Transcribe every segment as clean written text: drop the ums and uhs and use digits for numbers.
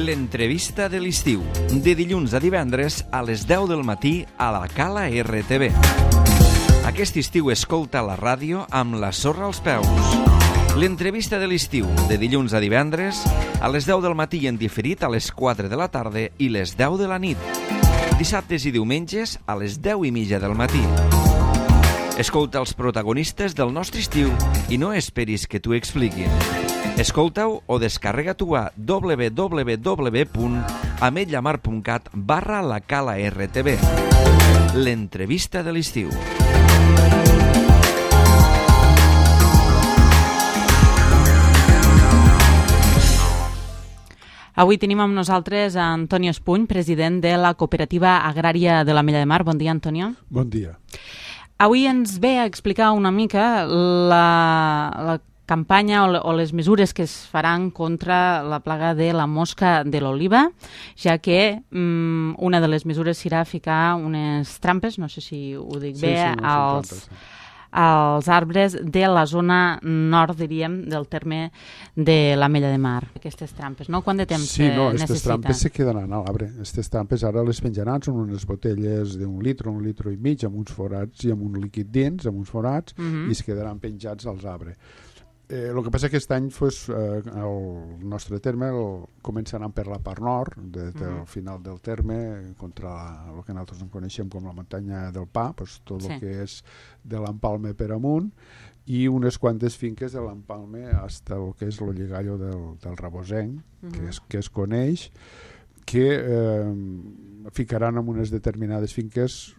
L'entrevista de l'estiu, de dilluns a divendres a les 10 del matí a la Cala RTV. Aquest estiu escolta la ràdio amb la sorra als peus. L'entrevista de l'estiu, de dilluns a divendres a les 10 del matí en diferit a les 4 de la tarda i les 10 de la nit. Dissabtes i diumenges a les 10:30 del matí. Escolta els protagonistes del nostre estiu i no esperis que t'ho expliquin. Escolta-ho o descarrega-t'ho a www.ametlllamar.cat/la Cala RTV. L'entrevista de l'estiu. Avui tenim amb nosaltres a Antonio Espuny, president de la Cooperativa Agrària de l'Ametlla de Mar. Bon dia, Antonio. Bon dia. Avui ens ve a explicar una mica la campanya o les mesures que es faran contra la plaga de la mosca de l'oliva, ja que una de les mesures serà ficar unes trampes, no sé si ho dic bé, als arbres de la zona nord, diríem, del terme de l'Ametlla de Mar. Aquestes trampes, no? Quant de temps necessita? Aquestes trampes se quedaran a l'arbre. Aquestes trampes ara les penjaran, són unes botelles d'un litre, un litre i mig, amb uns forats i amb un líquid dins, amb uns forats, i es quedaran penjats als arbres. El que passa que aquest any el nostre terme començaran per la part nord, del final del terme, contra el que nosaltres en coneixem com la muntanya del Pa, tot el que és de l'Empalme per amunt, i unes quantes finques de l'Empalme fins al que és el lligallo del Rabosenc, que es coneix, que ficaran en unes determinades finques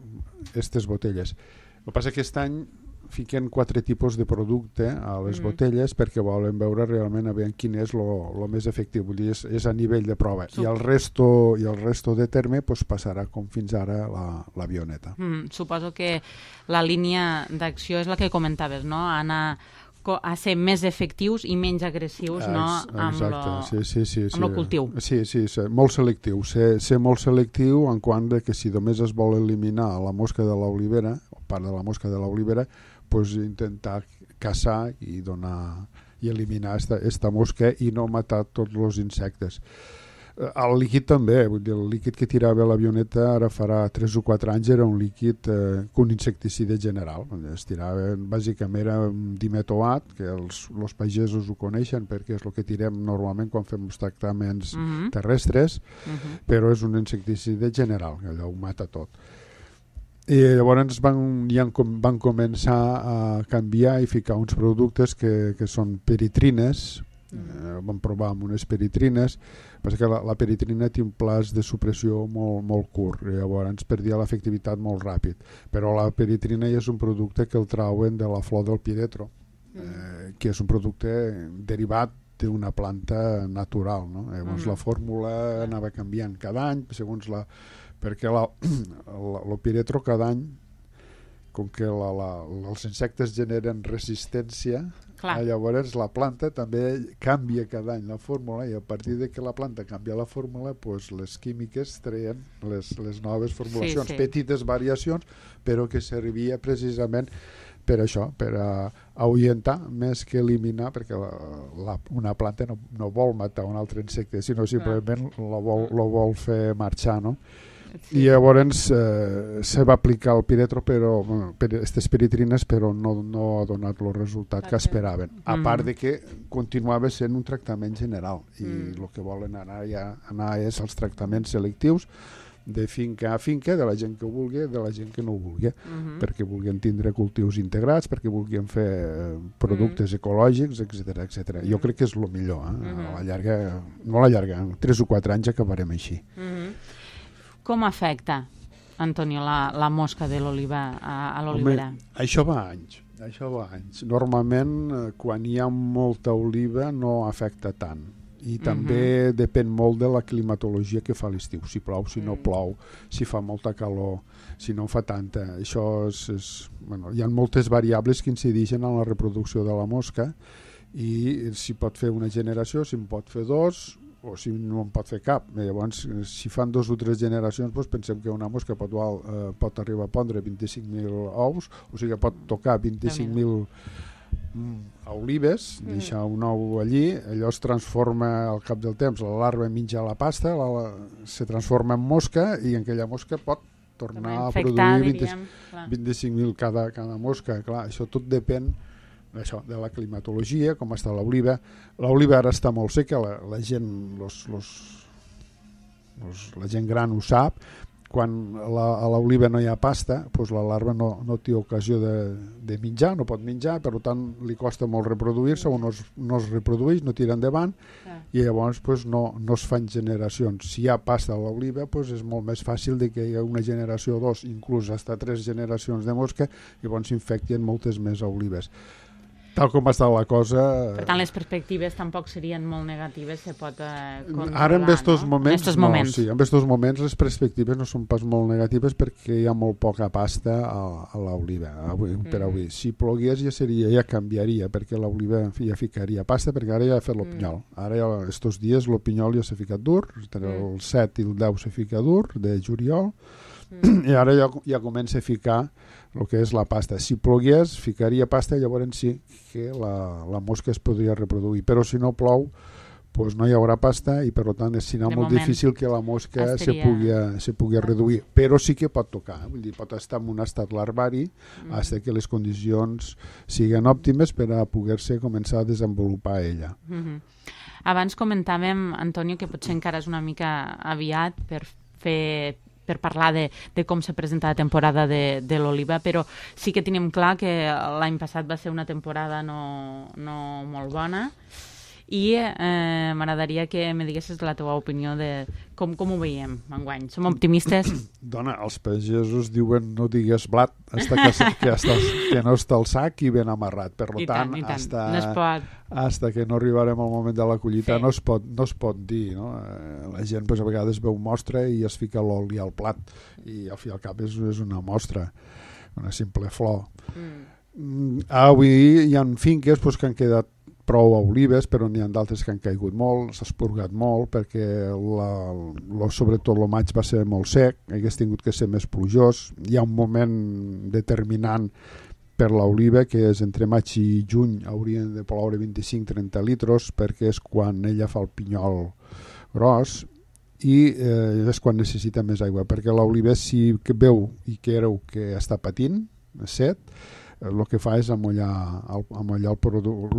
aquestes botelles. El que passa que aquest any fiquen 4 tipus de producte a les botelles perquè volen veure realment quin és el més efectiu. Vull dir, és a nivell de prova. I el resto de terme passarà com fins ara l'avioneta. Suposo que la línia d'acció és la que comentaves, no? Anar a ser més efectius i menys agressius, no? Amb el cultiu. Sí, molt selectiu. Ser molt selectiu en quant que si només es vol eliminar la mosca de l'olivera, o part de la mosca de l'olivera, intentar caçar i eliminar esta mosca i no matar tots els insectes. El líquid també, vull dir, el líquid que tirava l'avioneta ara farà 3 o 4 anys era un líquid un insecticida general. Es tirava, bàsicament era un dimetoat, que els pagesos ho coneixen perquè és el que tirem normalment quan fem els tractaments terrestres, però és un insecticida general, allò ho mata tot. I llavors van començar a canviar i ficar uns productes que són peritrines. Vam provar amb unes peritrines, perquè la peritrina té un plaç de supressió molt curt, llavors perdia l'efectivitat molt ràpid, però la peritrina és un producte que el trauen de la flor del piretro, que és un producte derivat d'una planta natural, no? Llavors la fórmula anava canviant cada any segons perquè el piretro cada any, com que els insectes generen resistència, llavors la planta també canvia cada any la fórmula i a partir de que la planta canvia la fórmula, les químiques treien les noves formulacions, petites variacions, però que servia precisament per això, per ahuyentar més que eliminar, perquè una planta no vol matar un altre insecte, sinó simplement lo vol fer marxar, no? I llavors se va aplicar el piretro, aquestes peritrines, però no ha donat el resultat que esperaven, a part de que continuava sent un tractament general i el que volen anar és els tractaments selectius de finca a finca, de la gent que ho vulgui, de la gent que no ho vulgui, perquè vulguin tindre cultius integrats, perquè vulguin fer productes ecològics, etc. Jo crec que és el millor, a la llarga, no a la llarga, en 3 o 4 anys acabarem així. Com afecta, Antonio, la mosca de l'oliva a l'olivera? Això va anys. Normalment, quan hi ha molta oliva, no afecta tant. I també depèn molt de la climatologia que fa l'estiu. Si plou, si no plou, si fa molta calor, si no fa tanta. Això hi ha moltes variables que incideixen en la reproducció de la mosca i si pot fer una generació, si en pot fer 2, o si no en pot fer cap. Llavors, si fan 2 o 3 generacions, pensem que una mosca pot arribar a pondre 25.000 ous, o sigui, pot tocar 25.000 olives, deixar un ou allí, allò es transforma al cap del temps, la larva menja la pasta, se transforma en mosca i en aquella mosca pot tornar a produir 25.000 cada mosca. Clar, això tot depèn d'això, de la climatologia, com està l'oliva. L'oliva ara està molt seca, la gent la gent gran ho sap. Quan a l'oliva no hi ha pasta, doncs la larva no té ocasió de menjar, no pot menjar, per tant li costa molt reproduir-se o no es reprodueix, no tira endavant i llavors doncs, no es fan generacions. Si hi ha pasta a l'oliva doncs és molt més fàcil de que hi ha una generació o dos, inclús fins a 3 generacions de mosca, i llavors s'infecten moltes més olives. Tal com està la cosa... Per tant, les perspectives tampoc serien molt negatives, se pot controlar, ara en estos moments, en estos moments. Sí, en estos moments les perspectives no són pas molt negatives perquè hi ha molt poca pasta a l'oliva. Per avui. Si plogués ja canviaria, perquè l'oliva ja ficaria pasta, perquè ara ja ha fet el pinyol. Ara ja, estos dies el pinyol ja s'ha ficat dur, el 7 i el 10 s'ha ficat dur, de juliol, i ara ja comença a ficar el que és la pasta. Si plogués, ficaria pasta i llavors sí que la mosca es podria reproduir, però si no plou doncs no hi haurà pasta i per tant serà molt difícil que la mosca se pugui reduir, però sí que pot tocar, vull dir, pot estar en un estat larvari fins que les condicions siguin òptimes per a poder-se començar a desenvolupar ella. Abans comentàvem, Antonio, que potser encara és una mica aviat per parlar de com se presenta la temporada de l'oliva, però sí que tenim clar que l'any passat va ser una temporada no molt bona i m'agradaria que me diguessis la teva opinió de com ho veiem enguany. Som optimistes? Dona, els pagesos diuen no digues blat que no està al sac i ben amarrat. Per tant, hasta que no arribarem al moment de la collita no es pot dir. No? La gent a vegades veu mostra i es fica l'oli al plat i al fi al cap és una mostra, una simple flor. Avui hi ha finques que han quedat prou olives, però n'hi ha d'altres que han caigut molt, s'ha esporgat molt perquè sobretot el maig va ser molt sec, hagués tingut que ser més plujós. Hi ha un moment determinant per l'oliva que és entre maig i juny haurien de ploure 25-30 litres perquè és quan ella fa el pinyol gros i és quan necessita més aigua, perquè l'oliva si veu i creu que està patint set, el que fa és amollar el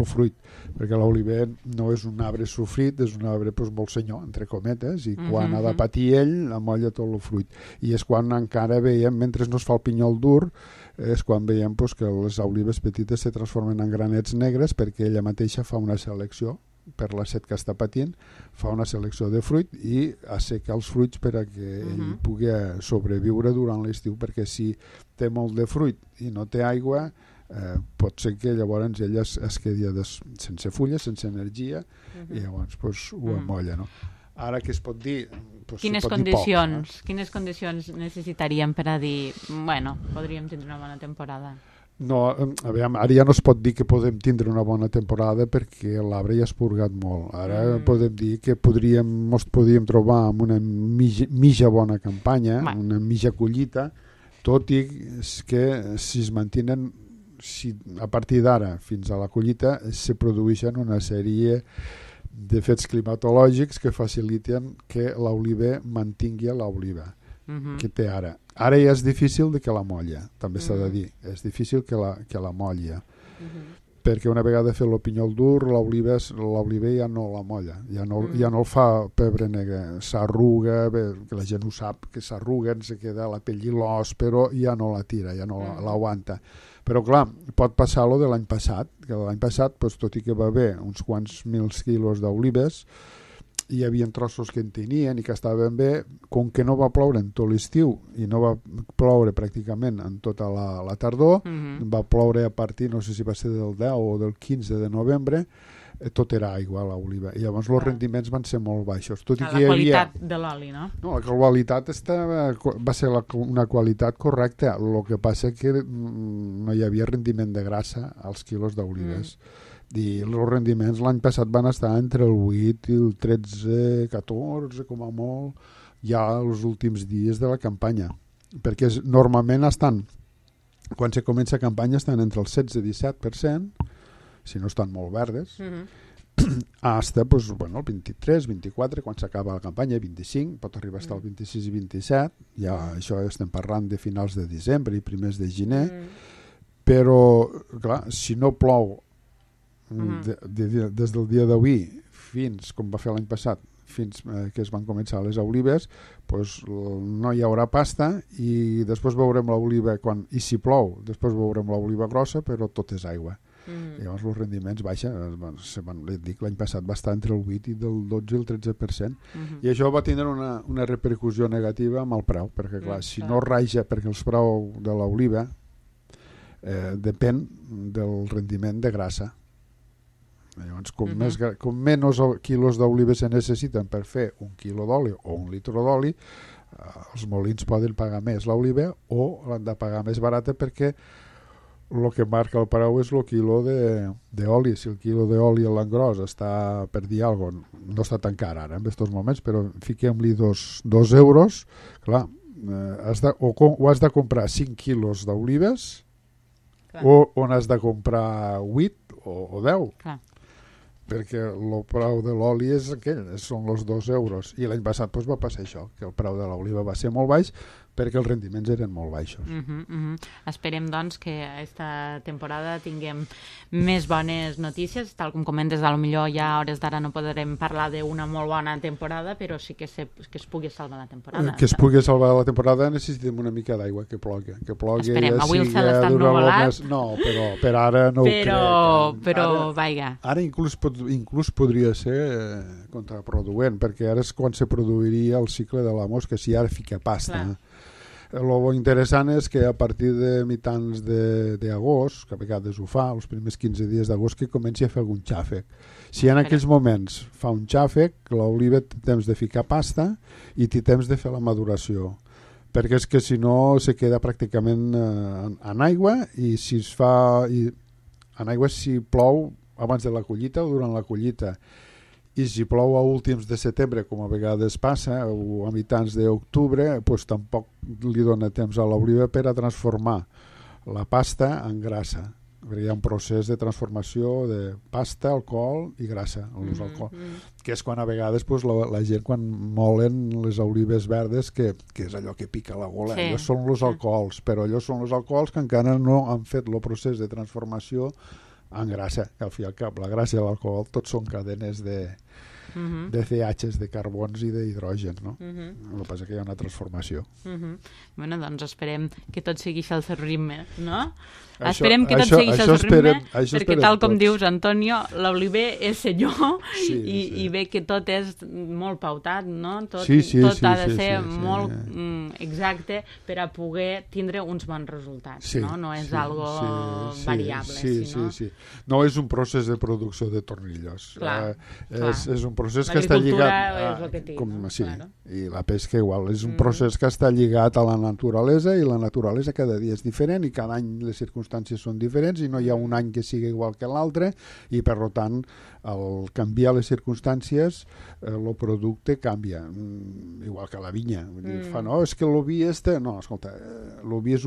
fruit, perquè l'oliver no és un arbre sofrit, és un arbre molt senyor, entre cometes, i quan ha de patir ell, amolla tot el fruit. I és quan encara veiem, mentre no es fa el pinyol dur, és quan veiem que les olives petites se transformen en granets negres perquè ella mateixa fa una selecció per la set que està patint, fa una selecció de fruit i asseca els fruits per a que ell pugui sobreviure durant l'estiu, perquè si té molt de fruit i no té aigua pot ser que llavors ella es quedi sense fulles, sense energia i llavors ho amolla, no? Ara què es pot dir? Quines condicions necessitaríem per a dir podríem tindre una bona temporada? No, ara ja no es pot dir que podem tindre una bona temporada perquè l'arbre ja ha esporgat molt. Ara podem dir que podríem trobar amb una mitja bona campanya, una mitja collita, tot i que si es mantenen, a partir d'ara fins a la collita se produeixen una sèrie de fets climatològics que faciliten que l'oliva mantingui l'oliva que té ara. Ara ja és difícil de que la molla, també s'ha de dir, és difícil que la molla, perquè una vegada fet el pinyol dur, l'oliva ja no la molla, ja no el fa pebre negre, s'arruga, que la gent ho sap, que s'arruga, se queda la pell i l'os, però ja no la tira, ja no l'aguanta. Però clar, pot passar lo de l'any passat, que l'any passat, tot i que va haver uns quants mils quilos d'olives, hi havia trossos que en tenien i que estaven bé, com que no va ploure en tot l'estiu i no va ploure pràcticament en tota la tardor, va ploure a partir, no sé si va ser del 10 o del 15 de novembre, tot era aigua a l'oliva, i llavors els rendiments van ser molt baixos. Tot i que la qualitat de l'oli, no? No, la qualitat va ser una qualitat correcta, el que passa que no hi havia rendiment de grassa als quilos d'olives. I els rendiments l'any passat van estar entre el 8 i el 13, 14, com a molt, ja els últims dies de la campanya. Perquè normalment quan se comença campanya estan entre el 16 i 17%, si no estan molt verdes, hasta pues, bueno, el 23, 24, quan s'acaba la campanya, 25, pot arribar a estar el 26 i 27, ja això estem parlant de finals de desembre i primers de gener, però clar, si no plou des del dia d'avui fins, com va fer l'any passat, fins que es van començar les olives, pues, no hi haurà pasta i després veurem l'oliva, i si plou, després veurem l'oliva grossa, però tot és aigua. Llavors els rendiments baixen, l'any passat va estar entre el 8 i del 12 i el 13%, i això va tindre una repercussió negativa amb el preu, perquè clar, si no raja, perquè el preu de l'oliva depèn del rendiment de grassa. Llavors, com menys quilos d'oliva se necessiten per fer un quilo d'oli o un litre d'oli, els molins poden pagar més l'oliva o l'han de pagar més barata, perquè el que marca el preu és el quilo d'oli. Si el quilo d'oli a l'engròs està, per dir alguna cosa, no està tan car ara en aquests moments, però fiquem-li 2 euros, clar, o has de comprar 5 quilos d'olives o n'has de comprar 8 o 10. Clar. Perquè el preu de l'oli és aquell, són els 2 euros, i l'any passat va passar això, que el preu de l'oliva va ser molt baix perquè els rendiments eren molt baixos. Esperem doncs que aquesta temporada tinguem més bones notícies, tal com comentes, potser ja a hores d'ara no podrem parlar d'una molt bona temporada, però sí que es pugui salvar la temporada. Que es pugui salvar la temporada necessitem una mica d'aigua, que plogui. Esperem, avui el cel està ennuvolat. No, però per ara no ho crec. Però vaja. Ara inclús podria ser contraproduent, perquè ara és quan se produiria el cicle de la mosca, si ara fica pasta. El interessant és que a partir de mitjans d'agost, que a vegades ho fa, els primers 15 dies d'agost, que comenci a fer algun xàfec. Si en aquells moments fa un xàfec, l'oliva té temps de ficar pasta i té temps de fer la maduració, perquè és que si no se queda pràcticament en aigua, i si es fa en aigua si plou abans de la collita o durant la collita, i si plou a últims de setembre, com a vegades passa, o a mitjans d'octubre, doncs tampoc li dona temps a l'oliva per a transformar la pasta en grassa. Hi ha un procés de transformació de pasta, alcohol i grassa, que és quan a vegades la gent, quan molen les olives verdes, que és allò que pica la gola, allò són els alcohols, però allò són els alcohols que encara no han fet el procés de transformació en grassa. Al fi i al cap, la grassa i l'alcohol tots són cadenes de CHs, de carbons i d'hidrògens, no? El que passa que hi ha una transformació. Bueno, doncs esperem que tot segueixi al seu ritme, no? Esperem que tot segueixi al seu ritme, perquè tal com dius, Antonio, l'oliver és senyor i ve que tot és molt pautat, no? Tot ha de ser molt exacte per a poder tindre uns bons resultats, no? No és algo variable. Sí. No és un procés de producció de tornillos. És un procés que està lligat i la pesca igual, és un procés que està lligat a la naturalesa, i la naturalesa cada dia és diferent i cada any les circumstàncies són diferents i no hi ha un any que sigui igual que l'altre, i per tant al canviar les circumstàncies el producte canvia, igual que la vinya. És que l'oví no, escolta, l'oví és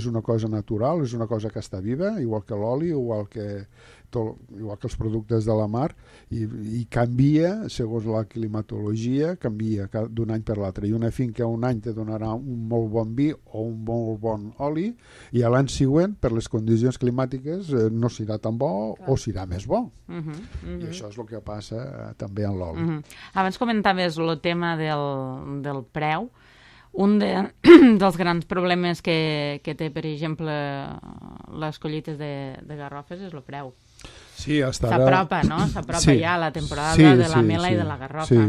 una cosa natural, és una cosa que està viva, igual que l'oli, igual que els productes de la mar, i canvia segons la climatologia, canvia d'un any per l'altre, i una finca un any te donarà un molt bon vi o un molt bon oli, i a l'any següent, per les condicions climàtiques, no serà tan bo o serà més bo. I això és el que passa també en l'oli. Abans comentaves el tema del preu. Un dels grans problemes que té, per exemple, les collites de garrofes és el preu. S'apropa, no? S'apropa ja la temporada de la mela i de la garrofa.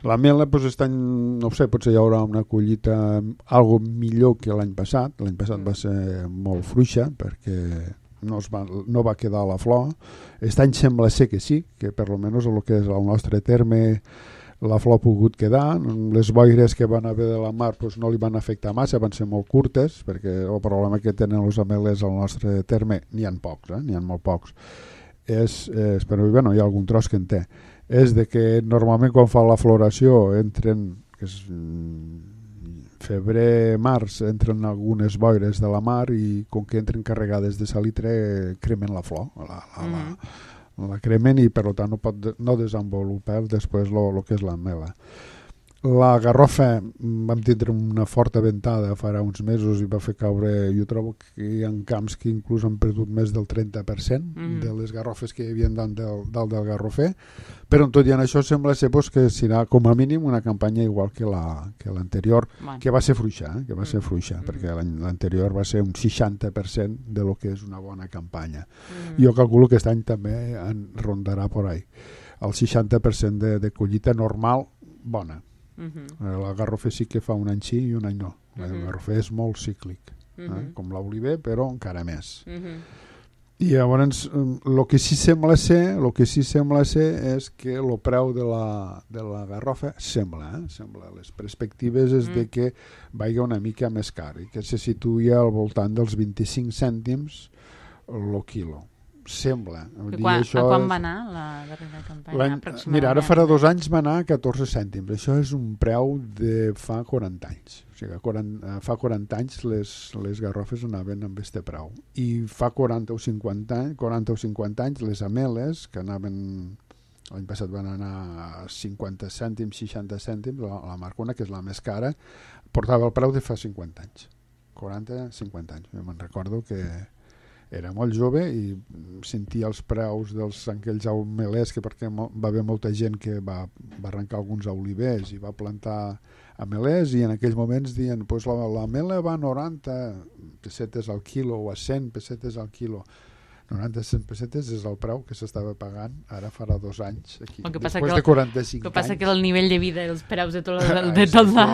La mela, aquest any, no ho sé, potser hi haurà una collita algo millor que l'any passat. L'any passat va ser molt fluixa perquè no va quedar a la flor. Aquest any sembla ser que sí, que per almenys el que és el nostre terme la flor ha pogut quedar. Les boires que van haver de la mar no li van afectar massa, van ser molt curtes, perquè el problema que tenen els ametllers al nostre terme, n'hi ha pocs, n'hi ha molt pocs, però hi ha algun tros que en té, és de que normalment quan fa la floració entren, que és febrer, març entren algunes boires de la mar i com que entren carregades de salitre cremen la flor, la cremen i per tant no desenvolupar després el que és la mela. La garrofa vam tindre una forta ventada farà uns mesos i va fer caure, jo trobo que hi ha camps que inclús han perdut més del 30% de les garrofes que hi havia dalt del garrofer, però tot i en això sembla ser que serà com a mínim una campanya igual que l'anterior, que va ser fluixa, perquè l'anterior va ser un 60% de lo que és una bona campanya. Jo calculo que aquest any també en rondarà por ahí. El 60% de collita normal, bona. La garrofer sí que fa un any sí i un any no. El garrofer és molt cíclic, com l'oliver, però encara més. I llavors el que sí sembla ser és que el preu de la garrofa sembla les perspectives és de que vagi una mica més car i que se situï al voltant dels 25 cèntims el quilo. Sembla. A quan va anar la darrera campanya? Mira, ara farà 2 anys va anar a 14 cèntims. Això és un preu de fa 40 anys. O sigui, fa 40 anys les garrofes anaven amb este preu. I fa 40 o 50 anys les ameles, que anaven... L'any passat van anar a 50 cèntims, 60 cèntims, la Marcona, que és la més cara, portava el preu de fa 50 anys. 40-50 anys. Jo me'n recordo que era molt jove i sentia els preus d'aquells amelers, perquè va haver molta gent que va arrencar alguns olivers i va plantar amelers i en aquells moments deien l'amela va a 90 pessetes al quilo o a 100 pessetes al quilo. 90 pessetes és el preu que s'estava pagant ara farà 2 anys aquí, després de 45 anys. El que passa que el nivell de vida i els preus de tota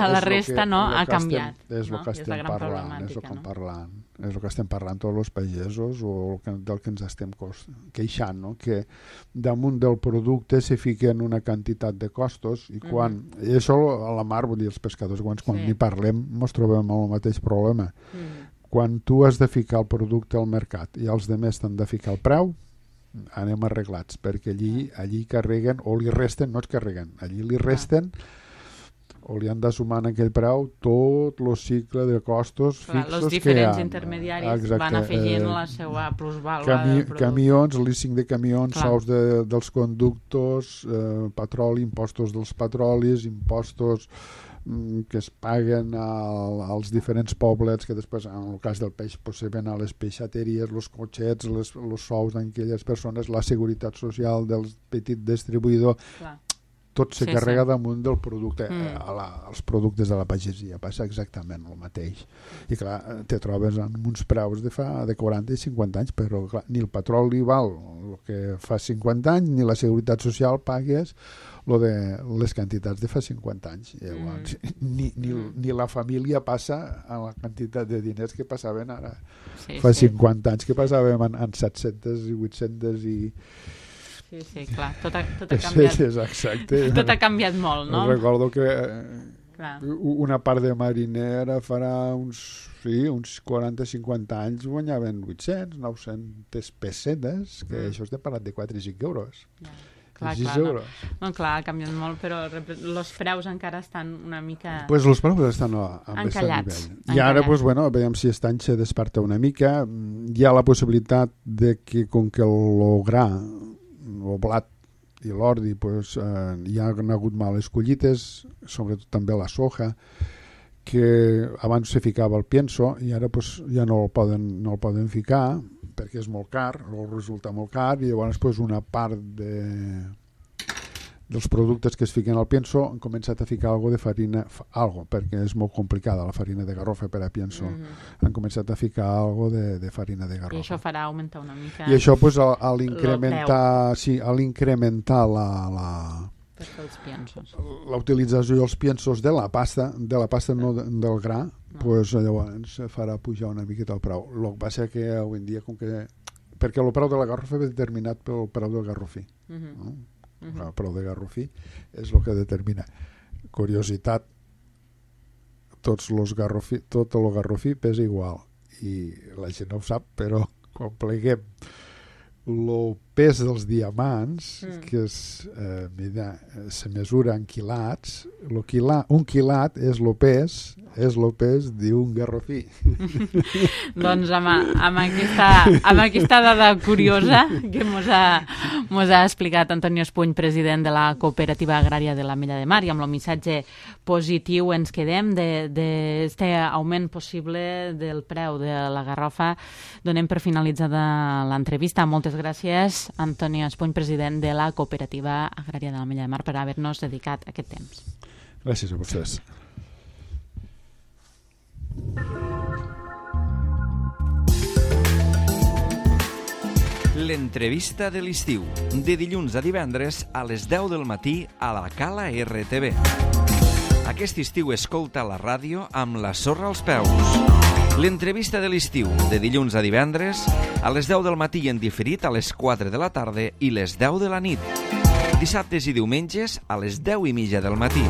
la resta ha canviat. És el que estem parlant, és el que estem parlant tots els pagesos o del que ens estem queixant, no? Que damunt del producte se fiquen una quantitat de costos i i això a la mar, vull dir, els pescadors quan n'hi parlem ens trobem amb el mateix problema. Quan tu has de ficar el producte al mercat i els altres t'han de ficar el preu, anem arreglats, perquè allí carreguen, o li resten, no es carreguen, allí li resten o li han de sumar en aquell preu tot el cicle de costos fixos que hi ha. Els diferents intermediaris van afegint la seva plusvàlua del producte. Camions, leasing de camions, sous dels conductors, petroli, impostos dels petrolis, impostos que es paguen als diferents poblets que després, en el cas del peix, se ven a les peixateries, els cotxets, els sous d'aquelles persones, la seguretat social del petit distribuïdor, tot se carrega damunt del producte. Els productes de la pagesia passa exactament el mateix. I clar, te trobes amb uns preus de 40 i 50 anys, però clar, ni el petroli val el que fa 50 anys, ni la seguretat social pagues lo de les quantitats de fa 50 anys. Llavors, ni la família passa a la quantitat de diners que passaven ara. Fa 50 anys que passàvem en 700 i 800 i... Sí, clar, tot ha canviat. Sí, exacte. Tot ha canviat molt, no? Recordo que una part de marinera farà uns 40-50 anys guanyaven 800, 900 pessetes, que això és de parat de 4 i 5 euros. Clar, ha canviat molt, però els preus encara estan una mica... Pues els preus estan a més nivell. I ara, veiem si aquest any se desperta una mica. Hi ha la possibilitat de que, com que el gra, el blat i l'ordi, hi ha hagut males collites, sobretot també la soja, que abans se ficava el pienso i ara ja no el poden ficar perquè és molt car, o resulta molt car, i llavors una part dels productes que es fiquen al pienso han començat a ficar algo de farina, perquè és molt complicada la farina de garrofa per a pienso, han començat a ficar algo de farina de garrofa. I això farà augmentar una mica... I això a l'incrementar la utilització dels piensos de la pasta no del gra, llavors farà pujar una miqueta el preu. El que passa que avui en dia, perquè el preu de la garrofa és determinat pel preu del garrofí, no? El preu de garrofí és el que determina. Curiositat, tot el garrofí pesa igual i la gent no ho sap, però quan pleguem el pes dels diamants, que se mesura en quilats. Un quilat és el pes d'un garrofí. Doncs amb aquesta dada curiosa que mos ha explicat Antonio Espuny, president de la Cooperativa Agrària de l'Ametlla de Mar, i amb el missatge positiu ens quedem d'aquest augment possible del preu de la garrofa. Donem per finalitzada l'entrevista. Moltes gràcies, Antonio Espuny, president de la Cooperativa Agrària de l'Ametlla de Mar, per haver-nos dedicat aquest temps. Gràcies a vostès. L'entrevista de l'estiu, de dilluns a divendres a les 10 del matí a la Cala RTV. Aquest estiu escolta la ràdio amb la sorra als peus. L'entrevista de l'estiu, de dilluns a divendres a les 10 del matí en diferit a les 4 de la tarda i les 10 de la nit. Dissabtes i diumenges a les 10:30 del matí.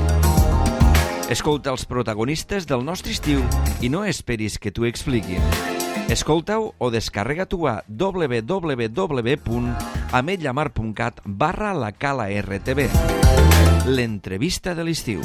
Escolta els protagonistes del nostre estiu i no esperis que t'ho expliquin. Escolta-ho o descarrega-t'ho a www.ametlamar.cat/la Cala RTV. L'entrevista de l'estiu.